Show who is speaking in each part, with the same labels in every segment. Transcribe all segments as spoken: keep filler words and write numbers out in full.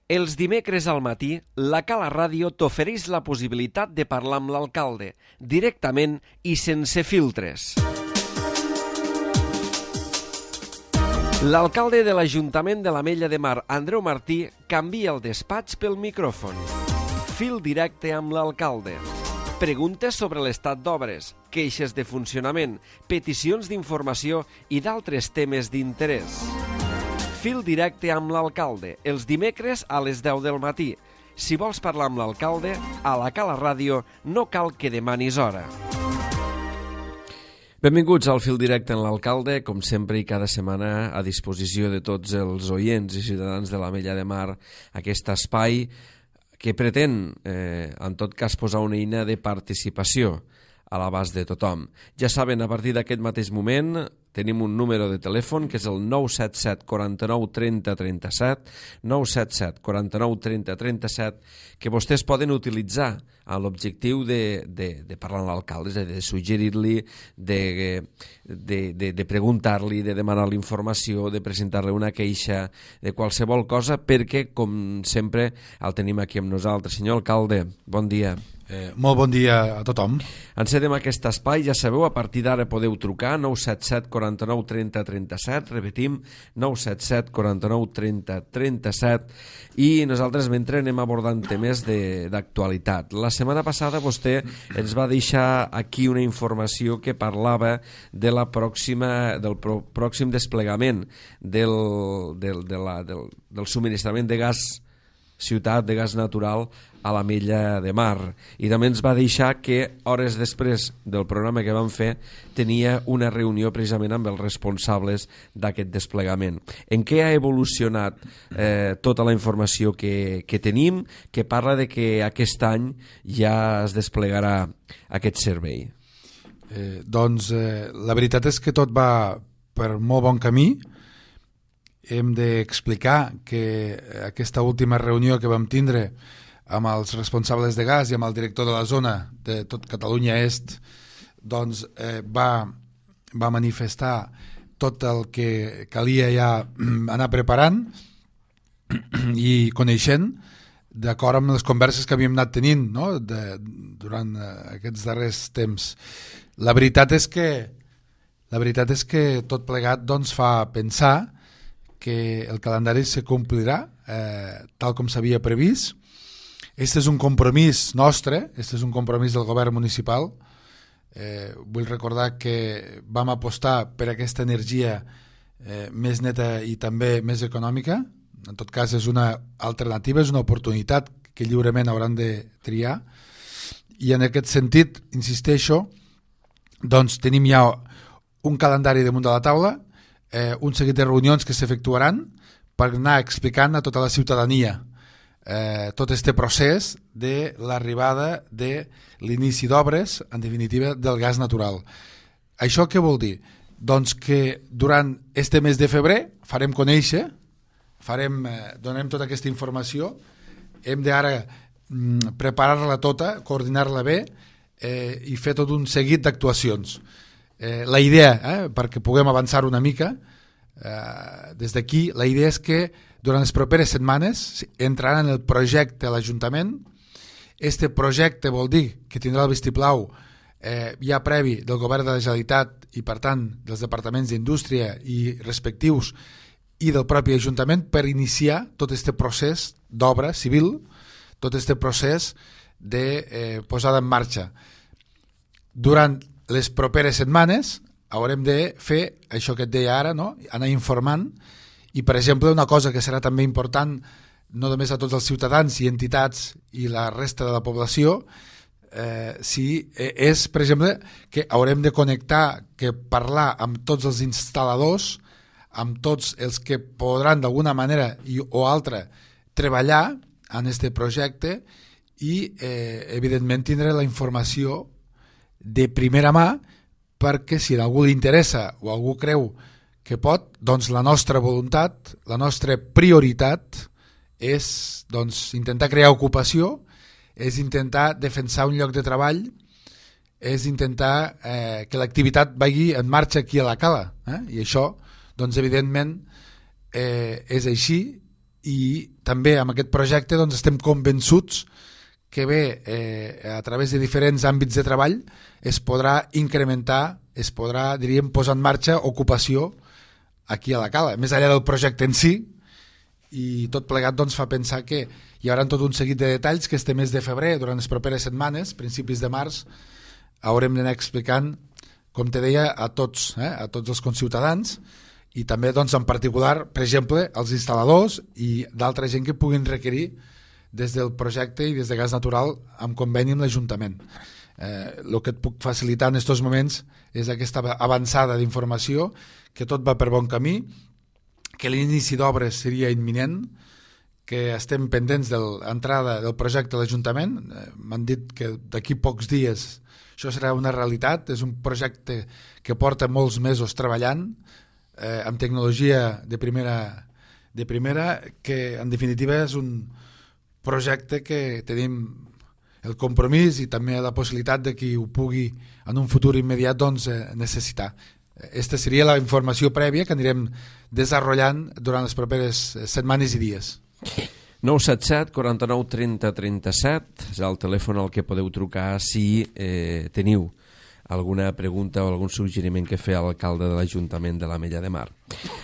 Speaker 1: Els dimecres al matí, la Cala Ràdio t'ofereix la possibilitat de parlar amb l'alcalde, directament i sense filtres. L'alcalde de l'Ajuntament de l'Ametlla de Mar, Andreu Martí, canvia el despatx pel micròfon. Fil directe amb l'alcalde. Preguntes sobre l'estat d'obres, queixes de funcionament, peticions d'informació i d'altres temes d'interès. Fil directe amb l'alcalde, els dimecres a les deu del matí. Si vols parlar amb l'alcalde, a la Cala Ràdio no cal que demanis hora. Benvinguts al Fil directe amb l'alcalde, com sempre i cada setmana a disposició de tots els oients i ciutadans de l'Ametlla de Mar, aquest espai que pretén, eh, en tot cas, posar una eina de participació a l'abast de tothom. Ja saben, a partir d'aquest mateix moment tenim un número de telèfon que és el nou set set quaranta-nou trenta trenta-set, nou set set quaranta-nou trenta trenta-set, que vostès poden utilitzar amb l'objectiu de, de, de parlar amb l'alcalde, és a dir, de suggerir-li, de, de, de, de preguntar-li, de demanar-li informació, de presentar-li una queixa, de qualsevol cosa, perquè, com sempre, el tenim aquí amb nosaltres. Senyor alcalde, bon dia.
Speaker 2: Eh, molt bon dia a tothom.
Speaker 1: Encedem aquest espai, ja sabeu, a partir d'ara podeu trucar nou set set quaranta-nou trenta trenta-set, repetim, nou set set quaranta-nou trenta trenta-set, i nosaltres mentre anem abordant temes d'actualitat. La setmana passada vostè ens va deixar aquí una informació que parlava de la pròxima, del pro, pròxim desplegament del, del, de la, del, del subministrament de gas ciutat de gas natural a l'Ametlla de Mar, i també ens va deixar que hores després del programa que vam fer tenia una reunió precisament amb els responsables d'aquest desplegament. En què ha evolucionat eh, tota la informació que, que tenim, que parla de que aquest any ja es desplegarà aquest servei?
Speaker 2: Eh, doncs eh, la veritat és que tot va per molt bon camí. Hem d'explicar que aquesta última reunió que vam tindre amb els responsables de gas i amb el director de la zona de tot Catalunya Est, doncs eh, va, va manifestar tot el que calia ja anar preparant i coneixent d'acord amb les converses que havíem anat tenint, no? de, durant aquests darrers temps. La veritat és que, la veritat és que tot plegat doncs, fa pensar que el calendari se complirà eh, tal com s'havia previst. Este és un compromís nostre, este és un compromís del govern municipal. Eh, vull recordar que vam apostar per aquesta energia eh, més neta i també més econòmica. En tot cas és una alternativa, és una oportunitat que lliurement hauran de triar, i en aquest sentit, insisteixo, doncs tenim ja un calendari damunt de la taula, Eh, un seguit de reunions que s'efectuaran per anar explicant a tota la ciutadania eh, tot este procés de l'arribada de l'inici d'obres, en definitiva, del gas natural. Això què vol dir? Doncs que durant este mes de febrer farem conèixer, farem, eh, donem tota aquesta informació, hem d'ara mm, preparar-la tota, coordinar-la bé eh, i fer tot un seguit d'actuacions. Eh, la idea, eh, perquè puguem avançar una mica eh, des d'aquí, la idea és que durant les properes setmanes entraran en el projecte a l'Ajuntament. Este projecte vol dir que tindrà el vistiplau eh, ja previ del Govern de la Generalitat i per tant dels departaments d'Indústria i respectius i del propi Ajuntament per iniciar tot este procés d'obra civil, tot este procés de eh, posada en marxa. Durant les properes setmanes haurem de fer això que et deia ara, no? Anar informant, i per exemple una cosa que serà també important no només a tots els ciutadans i entitats i la resta de la població, eh, si, eh, és per exemple que haurem de connectar, que parlar amb tots els instal·ladors, amb tots els que podran d'alguna manera i, o altra treballar en este projecte i eh, evidentment tindre la informació de primera mà, perquè si a algú li interessa o algú creu que pot, doncs la nostra voluntat, la nostra prioritat és doncs, intentar crear ocupació, és intentar defensar un lloc de treball, és intentar eh, que l'activitat vagi en marxa aquí a la Cala. Eh? I això, doncs evidentment, eh, és així i també amb aquest projecte doncs, estem convençuts que bé, eh, a través de diferents àmbits de treball es podrà incrementar, es podrà, diríem, posar en marxa ocupació aquí a la Cala, més enllà del projecte en si, i tot plegat doncs, fa pensar que hi haurà tot un seguit de detalls que este mes de febrer, durant les properes setmanes, principis de març, haurem d'anar explicant, com te deia, a tots, eh, a tots els conciutadans, i també doncs, en particular, per exemple, als instal·ladors i d'altra gent que puguin requerir des del projecte i des de gas natural amb conveni amb l'Ajuntament. Eh, el que et puc facilitar en aquests moments és aquesta avançada d'informació, que tot va per bon camí, que l'inici d'obres seria imminent, que estem pendents de l'entrada del projecte a l'Ajuntament. Eh, m'han dit que d'aquí pocs dies això serà una realitat. És un projecte que porta molts mesos treballant, eh, amb tecnologia de primera, de primera, que en definitiva és un projecte que tenim el compromís i també la possibilitat de qui ho pugui en un futur immediat doncs, eh, necessitar. Aquesta seria la informació prèvia que anirem desenvolupant durant les properes setmanes i dies.
Speaker 1: nou set set, quaranta-nou, trenta, trenta-set és el telèfon al que podeu trucar si eh, teniu alguna pregunta o algun suggeriment que fer a l'alcalde de l'Ajuntament de l'Ametlla de Mar.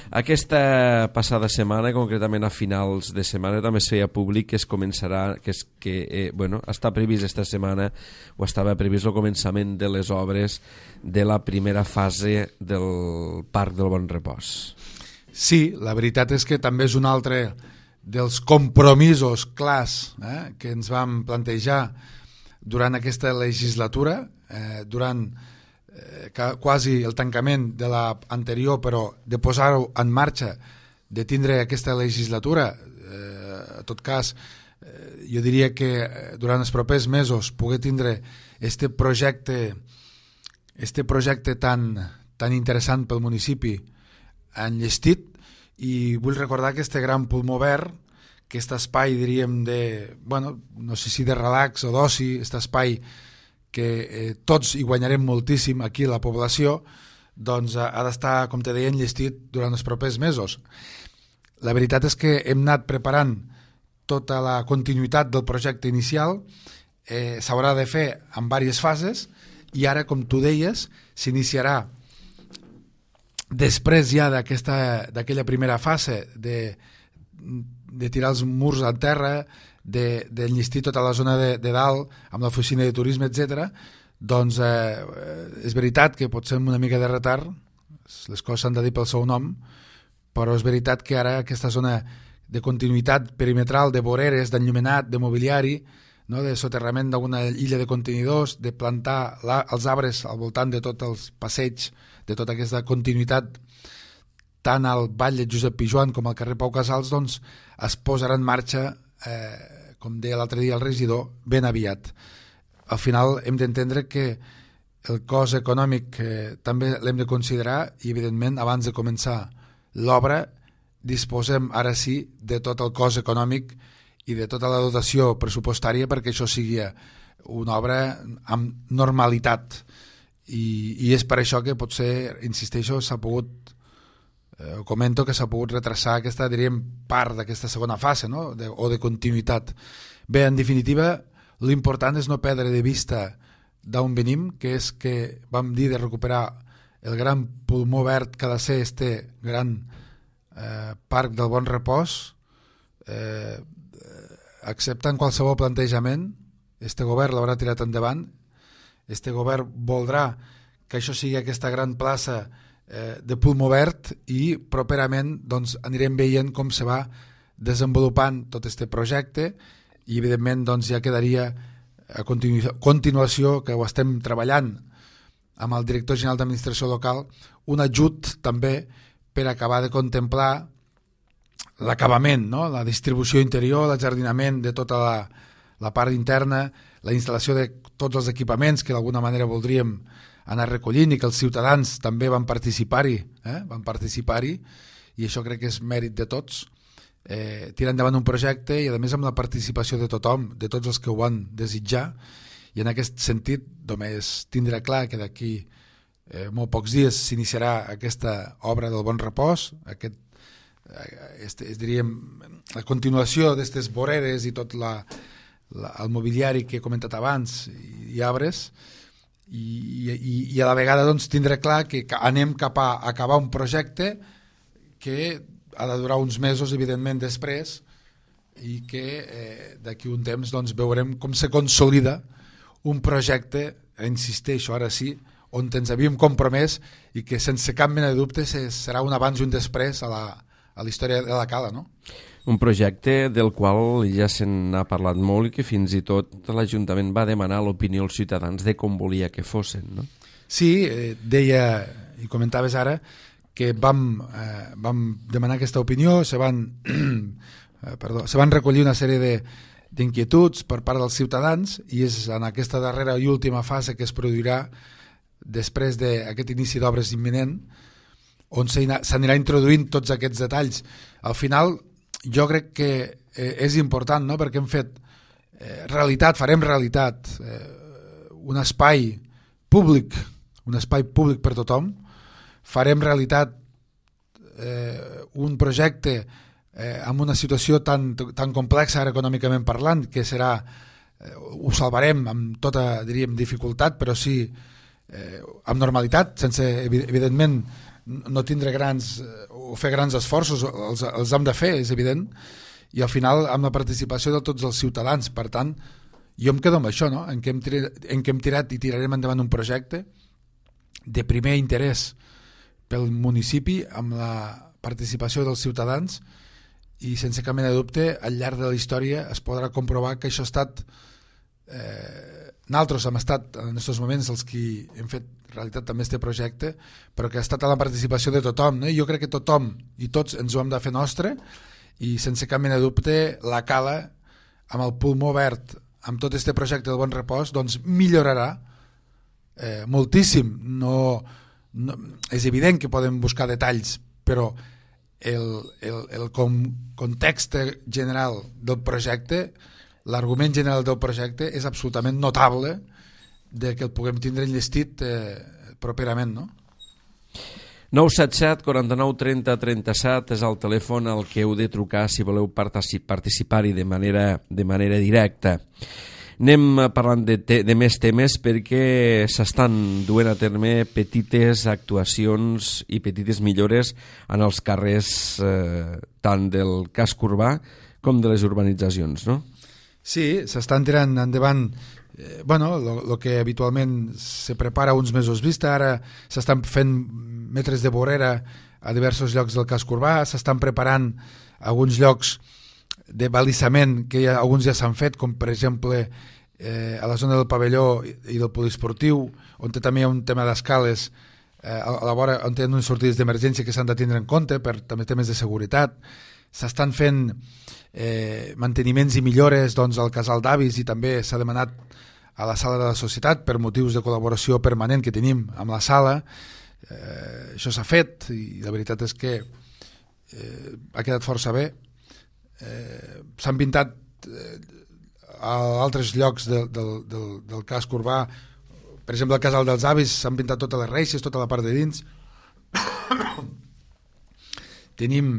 Speaker 1: Aquesta passada setmana, concretament a finals de setmana, també es feia públic que es començarà, que, és, que eh, bueno, està previst esta setmana, o estava previst el començament de les obres de la primera fase del Parc del Bon Repòs.
Speaker 2: Sí, la veritat és que també és un altre dels compromisos clars eh, que ens vam plantejar durant aquesta legislatura, eh, durant eh, quasi el tancament de l'anterior, però de posar-ho en marxa, de tindre aquesta legislatura. Eh, en tot cas, eh, jo diria que durant els propers mesos poder tindre este projecte, este projecte tan, tan interessant pel municipi enllestit, i vull recordar que este gran pulmó verd, aquest espai, diríem, de, bueno, no sé si de relax o d'oci, aquest espai que eh, tots hi guanyarem moltíssim aquí la població, doncs ha, ha d'estar, com te deia, enllestit durant els propers mesos. La veritat és que hem anat preparant tota la continuïtat del projecte inicial, eh, s'haurà de fer en diverses fases, i ara, com tu deies, s'iniciarà després ja d'aquella primera fase de, de tirar els murs a terra, d'enllestir de, tota la zona de, de dalt amb l'oficina de turisme, etcètera, doncs eh, és veritat que pot ser una mica de retard, les coses s'han de dir pel seu nom, però és veritat que ara aquesta zona de continuïtat perimetral, de voreres, d'enllumenat, de mobiliari, no, de soterrament d'una illa de contenidors, de plantar la, els arbres al voltant de tots els passeigs, de tota aquesta continuïtat tant al Vall de Josep Pijoan com al carrer Pau Casals, doncs es posarà en marxa, eh, com deia l'altre dia el regidor, ben aviat. Al final hem d'entendre que el cost econòmic eh, també l'hem de considerar, i evidentment abans de començar l'obra disposem ara sí de tot el cost econòmic i de tota la dotació pressupostària perquè això sigui una obra amb normalitat. I, i és per això que potser, insisteixo, s'ha pogut, eh, comento que s'ha pogut retrasar aquesta, diríem, part d'aquesta segona fase, no? de, o de continuïtat. Bé, en definitiva, l'important és no perdre de vista d'on venim, que és que vam dir de recuperar el gran pulmó verd que ha de ser este gran eh, Parc del Bon Repòs, eh, acceptant qualsevol plantejament, este govern l'haurà tirat endavant. Este govern voldrà que això sigui aquesta gran plaça eh, de pulmó verd, i properament doncs, anirem veient com se va desenvolupant tot este projecte, i evidentment doncs, ja quedaria a continu continuació, que ho estem treballant amb el director general d'administració local, un ajut també per acabar de contemplar l'acabament, no? La distribució interior, l'ajardinament de tota la, la part interna, la instal·lació de tots els equipaments que d'alguna manera voldríem anar recollint i que els ciutadans també van participar-hi, eh? van participar-hi, i això crec que és mèrit de tots, eh, tirar endavant un projecte i a més amb la participació de tothom, de tots els que ho van desitjar, i en aquest sentit només tindrà clar que d'aquí eh, molt pocs dies s'iniciarà aquesta obra del Bon Repòs, aquest este, es diríem, la continuació d'aquestes voreres i tot la, la, el mobiliari que he comentat abans i, i arbres, i, i, i a la vegada doncs, tindre clar que anem cap a acabar un projecte que ha de durar uns mesos, evidentment, després, i que eh, d'aquí un temps doncs, veurem com se consolida un projecte, insisteixo, ara sí, on ens havíem compromès i que sense cap mena de dubte serà un abans i un després a la, a la història de la Cala, no?
Speaker 1: Un projecte del qual ja se n'ha parlat molt i que fins i tot l'Ajuntament va demanar l'opinió als ciutadans de com volia que fossin, no?
Speaker 2: Sí, eh, deia, i comentaves ara, que vam, eh, vam demanar aquesta opinió, se van, eh, perdó, se van recollir una sèrie de d'inquietuds per part dels ciutadans i és en aquesta darrera i última fase que es produirà després d'aquest inici d'obres imminent on s'anirà introduint tots aquests detalls. Al final jo crec que eh, és important, no?, perquè hem fet eh, realitat, farem realitat eh, un espai públic, un espai públic per tothom, farem realitat eh, un projecte eh, amb una situació tan, tan complexa ara econòmicament parlant, que serà, eh, ho salvarem amb tota, diríem, dificultat, però sí eh, amb normalitat, sense, evidentment, no tindre grans o fer grans esforços, els, els hem de fer, és evident, i al final amb la participació de tots els ciutadans. Per tant, jo em quedo amb això, no?, en què hem tirat, en què hem tirat i tirarem endavant un projecte de primer interès pel municipi, amb la participació dels ciutadans, i sense cap mena de dubte al llarg de la història es podrà comprovar que això ha estat eh, nosaltres hem estat en aquests moments els que hem fet realitat també este projecte, però que ha estat a la participació de tothom, no? I jo crec que tothom i tots ens ho hem de fer nostre, i sense cap mena de dubte la Cala, amb el pulmó verd, amb tot este projecte del Bon Repòs, doncs millorarà eh, moltíssim. No, no, és evident que podem buscar detalls, però el, el, el com, context general del projecte, l'argument general del projecte és absolutament notable de que el puguem tindre enllestit eh, properament, no?
Speaker 1: nou set set, quaranta-nou, trenta, trenta-set és el telèfon al que heu de trucar si voleu participar-hi de manera, de manera directa. Anem parlant de, te, de més temes perquè s'estan duent a terme petites actuacions i petites millores en els carrers eh, tant del casc urbà com de les urbanitzacions, no?
Speaker 2: Sí, s'estan tirant endavant eh, bueno, el que habitualment se prepara uns mesos vista. Ara s'estan fent metres de vorera a diversos llocs del casc urbà, s'estan preparant alguns llocs de balissament que ja, alguns ja s'han fet, com per exemple eh, a la zona del pavelló i del poliesportiu, on també hi ha un tema d'escales eh, a la vora, on tenen unes sortides d'emergència que s'han de tindre en compte per també temes de seguretat. S'estan fent eh, manteniments i millores doncs, al casal d'avis, i també s'ha demanat a la sala de la societat per motius de col·laboració permanent que tenim amb la sala. Eh, això s'ha fet i la veritat és que eh, ha quedat força bé. Eh, s'han pintat eh, a altres llocs de, de, del, del casc urbà, per exemple al casal dels avis s'han pintat totes les reixes, tota la part de dins. tenim,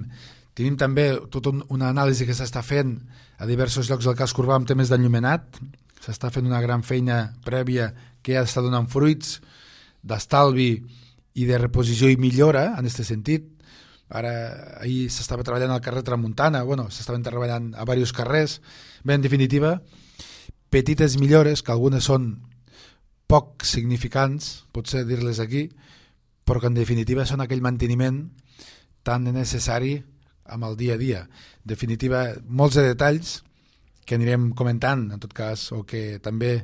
Speaker 2: tenim també tota una anàlisi que s'està fent a diversos llocs del casc urbà amb temes d'enllumenat. S'està fent una gran feina prèvia que ja està donant fruits d'estalvi i de reposició i millora en aquest sentit. Ara, ahir s'estava treballant al carrer Tramuntana, bueno, s'estaven treballant a diversos carrers. Bé, en definitiva, petites millores, que algunes són poc significants, potser dir-les aquí, però que en definitiva són aquell manteniment tan necessari amb el dia a dia. En definitiva, molts de detalls que anirem comentant, en tot cas, o que també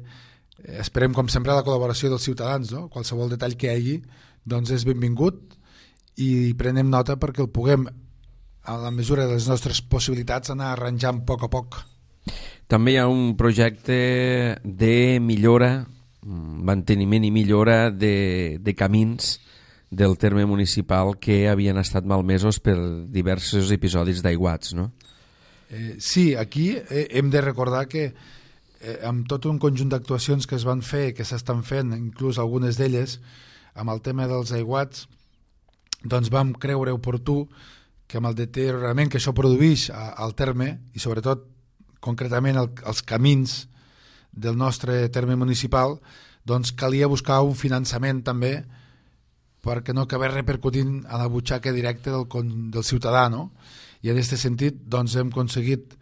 Speaker 2: esperem, com sempre, la col·laboració dels ciutadans, no? Qualsevol detall que hi hagi, doncs és benvingut, i prenem nota perquè el puguem, a la mesura de les nostres possibilitats, anar arranjant a poc a poc.
Speaker 1: També hi ha un projecte de millora, manteniment i millora de, de camins del terme municipal que havien estat malmesos per diversos episodis d'aiguats, no?
Speaker 2: Eh, sí, aquí eh, hem de recordar que eh, amb tot un conjunt d'actuacions que es van fer, que s'estan fent, inclús algunes d'elles, amb el tema dels aiguats, doncs vam creure oportú que amb el deteriorament que això produeix al terme, i sobretot concretament el, els camins del nostre terme municipal, doncs calia buscar un finançament també perquè no acabés repercutint a la butxaca directa del, del ciutadà, no? I en aquest sentit doncs, hem aconseguit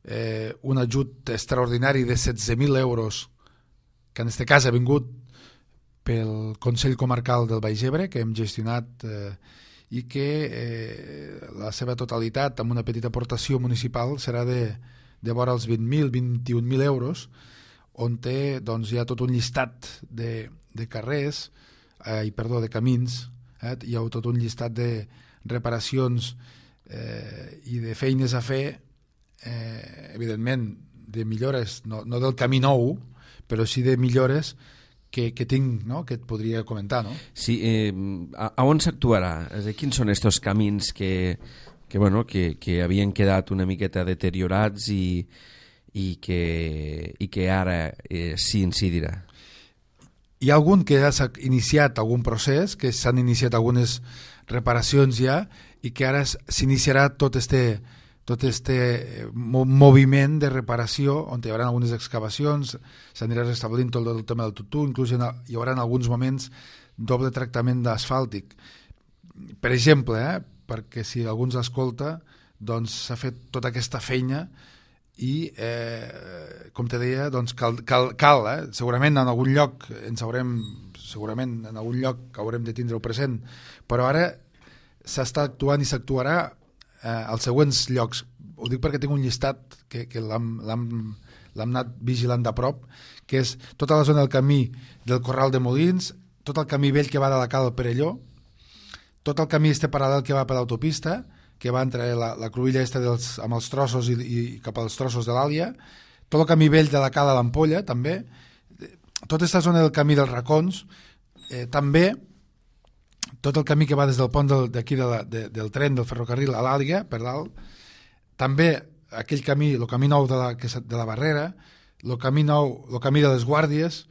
Speaker 2: eh, un ajut extraordinari de setze mil euros, que en aquest cas ha vingut pel Consell Comarcal del Baix Ebre, que hem gestionat eh, i que eh, la seva totalitat, amb una petita aportació municipal, serà de, de vora els vint mil, vint-i-un mil euros, on té, doncs, hi ha tot un llistat de, de carrers, eh, perdó, de camins, eh, hi ha tot un llistat de reparacions eh, i de feines a fer, eh, evidentment, de millores, no, no del camí nou, però sí de millores que, que tinc, no?, que et podria comentar, no?
Speaker 1: Sí, eh, a, a on s'actuarà? Quins són estos camins que, que, bueno, que, que havien quedat una miqueta deteriorats i, i, que, i que ara eh, s'hi incidirà?
Speaker 2: Hi ha algun que ja s'ha iniciat algun procés, que s'han iniciat algunes reparacions ja, i que ara s'iniciarà tot este, tot este moviment de reparació, on hi haurà algunes excavacions, s'anirà restablint tot el tema del tutú, inclús hi haurà en alguns moments doble tractament d'asfàltic. Per exemple, eh, perquè si algú ens escolta, doncs s'ha fet tota aquesta feina i, eh, com te deia, doncs cal, cal, cal eh? segurament en algun lloc ens haurem, segurament en algun lloc haurem de tindre-ho present, però ara s'està actuant i s'actuarà eh, als següents llocs. Ho dic perquè tinc un llistat que, que l'hem anat vigilant de prop, que és tota la zona del camí del Corral de Molins, tot el camí vell que va de la Cal al Perelló, tot el camí este paral·lel que va per l'autopista, que va entre la, la cruïlla esta dels, amb els trossos i, i cap als trossos de l'Àlia, tot el camí vell de la Cala a l'Ampolla, també, tota aquesta zona del camí dels Racons, eh, també tot el camí que va des del pont d'aquí de de, del tren, del ferrocarril a l'Àliga, per dalt, també aquell camí, el camí nou de la, de la Barrera, el camí nou, el camí de les Guàrdies,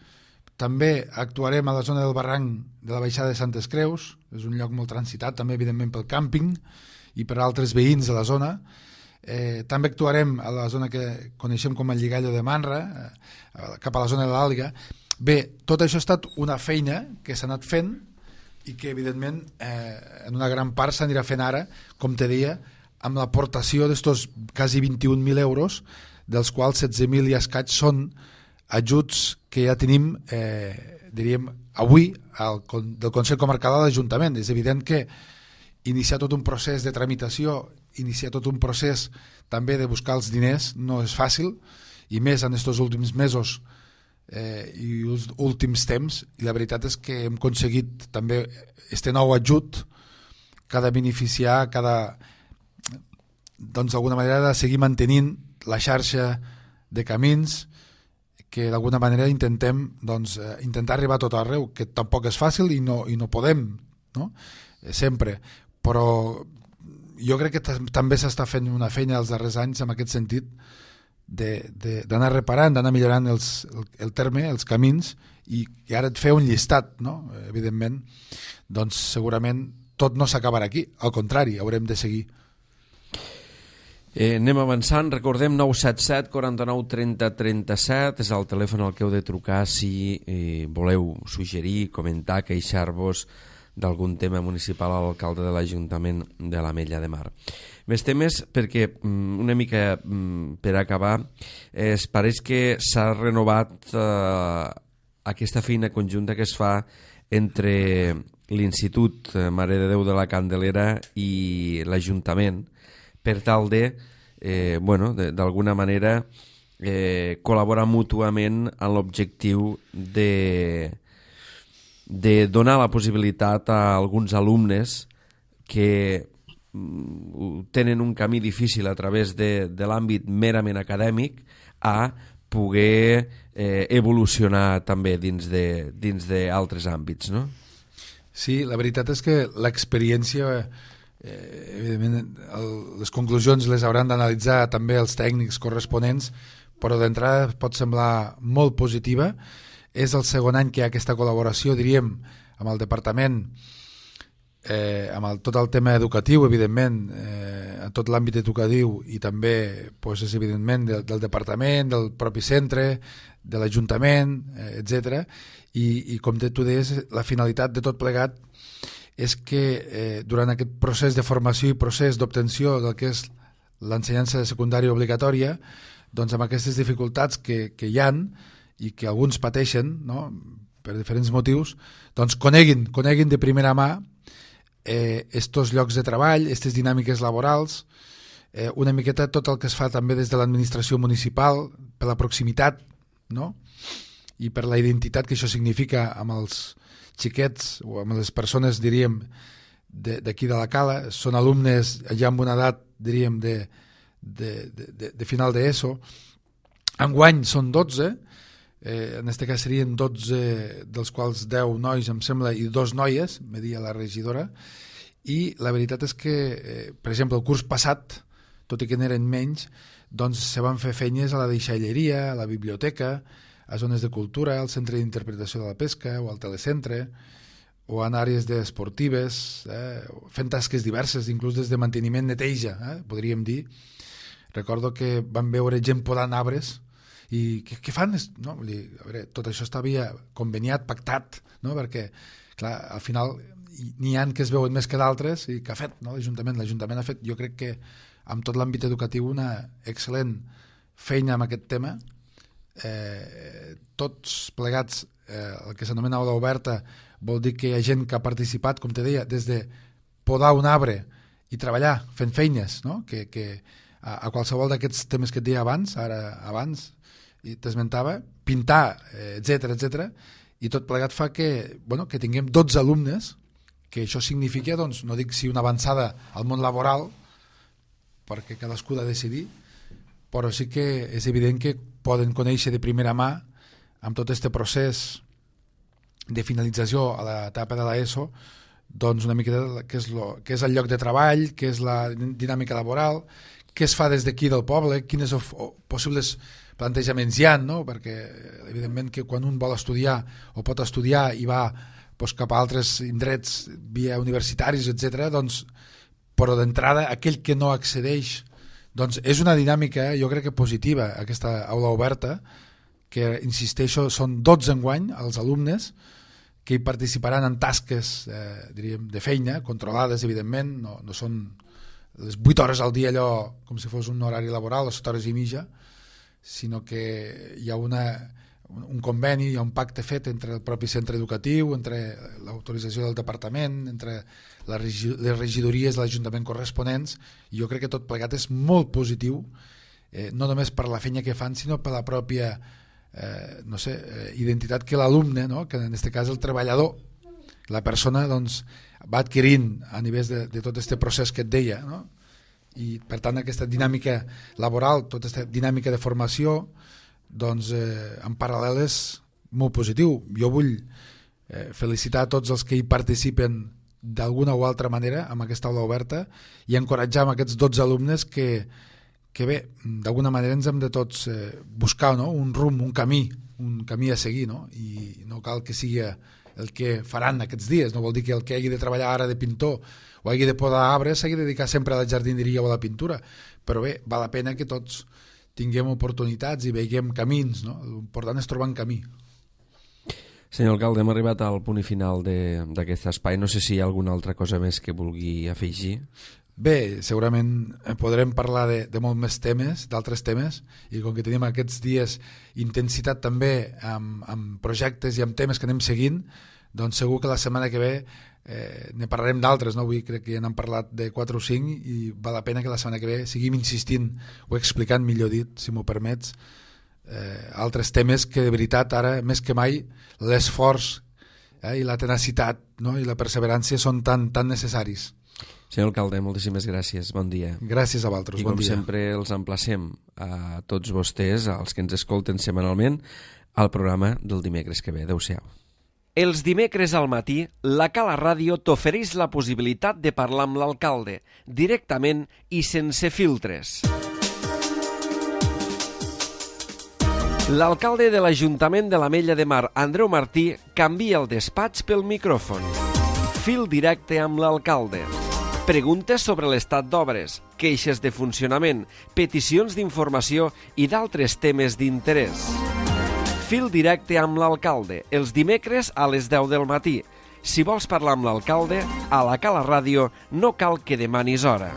Speaker 2: també actuarem a la zona del barranc de la baixada de Santes Creus, és un lloc molt transitat, també evidentment pel càmping i per altres veïns de la zona. Eh, també actuarem a la zona que coneixem com el Lligallo de Manra, eh, cap a la zona de l'Àliga. Bé, tot això ha estat una feina que s'ha anat fent i que evidentment eh, en una gran part s'anirà fent ara, com te deia, amb l'aportació d'estos quasi vint-i-un mil euros, dels quals setze mil i escaig són ajuts que ja tenim, eh, diríem, avui al, del Consell Comarcal a l'Ajuntament. És evident que iniciar tot un procés de tramitació, iniciar tot un procés també de buscar els diners no és fàcil, i més en aquests últims mesos eh, i els últims temps, i la veritat és que hem aconseguit també este nou ajut que ha de beneficiar, que ha de, doncs d'alguna manera de seguir mantenint la xarxa de camins que d'alguna manera intentem doncs, eh, intentar arribar a tot arreu, que tampoc és fàcil i no, i no podem, no? Eh, sempre, però jo crec que també s'està fent una feina els darrers anys en aquest sentit d'anar reparant, d'anar millorant els, el, el terme, els camins, i, i ara et fer un llistat, no? Evidentment, doncs segurament tot no s'acabarà aquí, al contrari, haurem de seguir.
Speaker 1: Eh, anem avançant, recordem nou set set, quaranta-nou, trenta, trenta-set, és el telèfon al que heu de trucar si eh, voleu suggerir, comentar, queixar-vos d'algun tema municipal a l'alcalde de l'Ajuntament de l'Ametlla de Mar. Més temes perquè una mica per acabar, es pareix que s'ha renovat eh, aquesta feina conjunta que es fa entre l'Institut Mare de Déu de la Candelera i l'Ajuntament per tal de, eh, bueno, d'alguna manera eh, col·laborar mútuament en l'objectiu de de donar la possibilitat a alguns alumnes que tenen un camí difícil a través de, de l'àmbit merament acadèmic a poder eh, evolucionar també dins de, dins d'altres àmbits, no?
Speaker 2: Sí, la veritat és que l'experiència, eh, evidentment, el, les conclusions les hauran d'analitzar també els tècnics corresponents, però d'entrada pot semblar molt positiva. És el segon any que hi ha aquesta col·laboració, diríem, amb el departament, eh, amb el, tot el tema educatiu, evidentment, eh, tot l'àmbit educatiu i també, pues, és evidentment, del, del departament, del propi centre, de l'Ajuntament, eh, etcètera. I, i com tu deies, la finalitat de tot plegat és que eh, durant aquest procés de formació i procés d'obtenció del que és l'ensenyança secundària obligatòria, doncs amb aquestes dificultats que, que hi han i que alguns pateixen, no?, per diferents motius, doncs coneguin, coneguin de primera mà eh, estos llocs de treball, aquestes dinàmiques laborals, eh, una miqueta tot el que es fa també des de l'administració municipal, per la proximitat, no?, i per la identitat que això significa amb els xiquets o amb les persones, diríem, d'aquí de, de la Cala. Són alumnes ja amb una edat, diríem, de, de, de, de final d'ESO. Enguany són dotze, eh, en aquest cas serien dotze, dels quals deu nois, em sembla, i dos noies, me deia la regidora, i la veritat és que, eh, per exemple, el curs passat, tot i que n'eren menys, doncs se van fer feines a la deixalleria, a la biblioteca, a zones de cultura, al centre d'interpretació de la pesca o al telecentre, o en àrees esportives, eh, fent tasques diverses, inclús des de manteniment, neteja, eh, podríem dir. Recordo que van veure gent podant arbres i què, què fan? No, vull dir, a veure, tot això estava conveniat, pactat, no? Perquè clar, al final n'hi ha que es veuen més que d'altres i que ha fet, no? l'Ajuntament l'Ajuntament ha fet, jo crec que amb tot l'àmbit educatiu, una excel·lent feina amb aquest tema. Eh, tots plegats, eh, el que s'anomena aula oberta vol dir que hi ha gent que ha participat, com te deia, des de podar un arbre i treballar fent feines, no? que, que a, a qualsevol d'aquests temes que et deia abans, ara abans i t'esmentava, pintar, eh, etcètera, etcètera, i tot plegat fa que, bueno, que tinguem dotze alumnes, que això significa, doncs, no dic si una avançada al món laboral, perquè cadascú ha de decidir, però sí que és evident que poden conèixer de primera mà amb tot aquest procés de finalització a l'etapa de l'ESO, doncs una miqueta què és, lo, què és el lloc de treball, què és la dinàmica laboral, què es fa des d'aquí del poble, quines of, o, possibles plantejaments hi ha, no? Perquè evidentment que quan un vol estudiar o pot estudiar i va doncs, cap a altres indrets via universitaris, etcètera, doncs, però d'entrada aquell que no accedeix, doncs és una dinàmica, jo crec que positiva, aquesta aula oberta, que, insisteixo, són dotze enguany els alumnes que hi participaran en tasques, eh, diríem, de feina, controlades, evidentment, no, no són les vuit hores al dia allò com si fos un horari laboral, o set hores i mitja, sinó que hi ha una, un conveni, hi ha un pacte fet entre el propi centre educatiu, entre l'autorització del departament, entre les regidories de l'Ajuntament corresponents, i jo crec que tot plegat és molt positiu, eh, no només per la feina que fan, sinó per la pròpia eh, no sé, eh, identitat que l'alumne, no? Que en aquest cas el treballador, la persona, doncs, va adquirint a nivell de, de tot aquest procés que et deia, no? I per tant aquesta dinàmica laboral, tota aquesta dinàmica de formació, doncs eh, en paral·lel és molt positiu. Jo vull eh, felicitar a tots els que hi participen d'alguna o altra manera amb aquesta aula oberta i encoratjar amb aquests dotze alumnes que, que bé, d'alguna manera ens hem de tots eh, buscar, no? Un rumb, un camí, un camí a seguir, no? I no cal que sigui el que faran aquests dies, no vol dir que el que hagi de treballar ara de pintor o hagi de podar arbres s'hagi de dedicar sempre a la jardineria o a la pintura, però bé, val la pena que tots tinguem oportunitats i veiem camins, no? L'important és trobar un camí.
Speaker 1: Senyor alcalde, hem arribat al punt i final d'aquest espai. No sé si hi ha alguna altra cosa més que vulgui afegir.
Speaker 2: Bé, segurament podrem parlar de, de molt més temes, d'altres temes, i com que tenim aquests dies intensitat també amb, amb projectes i amb temes que anem seguint, doncs segur que la setmana que ve eh, ne parlarem d'altres, no? Avui crec que ja n'hem parlat de quatre o cinc i val la pena que la setmana que ve seguim insistint o explicant, millor dit, si m'ho permets, eh, altres temes que de veritat ara, més que mai, l'esforç eh, i la tenacitat, no? I la perseverància són tan, tan necessaris.
Speaker 1: Senyor alcalde, moltíssimes gràcies, bon dia.
Speaker 2: Gràcies a vosaltres,
Speaker 1: bon dia. I com
Speaker 2: dia.
Speaker 1: sempre els emplacem a tots vostès, als que ens escolten setmanalment, al programa del dimecres que ve. Adéu-siau. Els dimecres al matí, la Cala Ràdio t'ofereix la possibilitat de parlar amb l'alcalde, directament i sense filtres. L'alcalde de l'Ajuntament de l'Ametlla de Mar, Andreu Martí, canvia el despatx pel micròfon. Fil directe amb l'alcalde. Preguntes sobre l'estat d'obres, queixes de funcionament, peticions d'informació i d'altres temes d'interès. Fil directe amb l'alcalde, els dimecres a les deu del matí. Si vols parlar amb l'alcalde, a la Cala Ràdio no cal que demanis hora.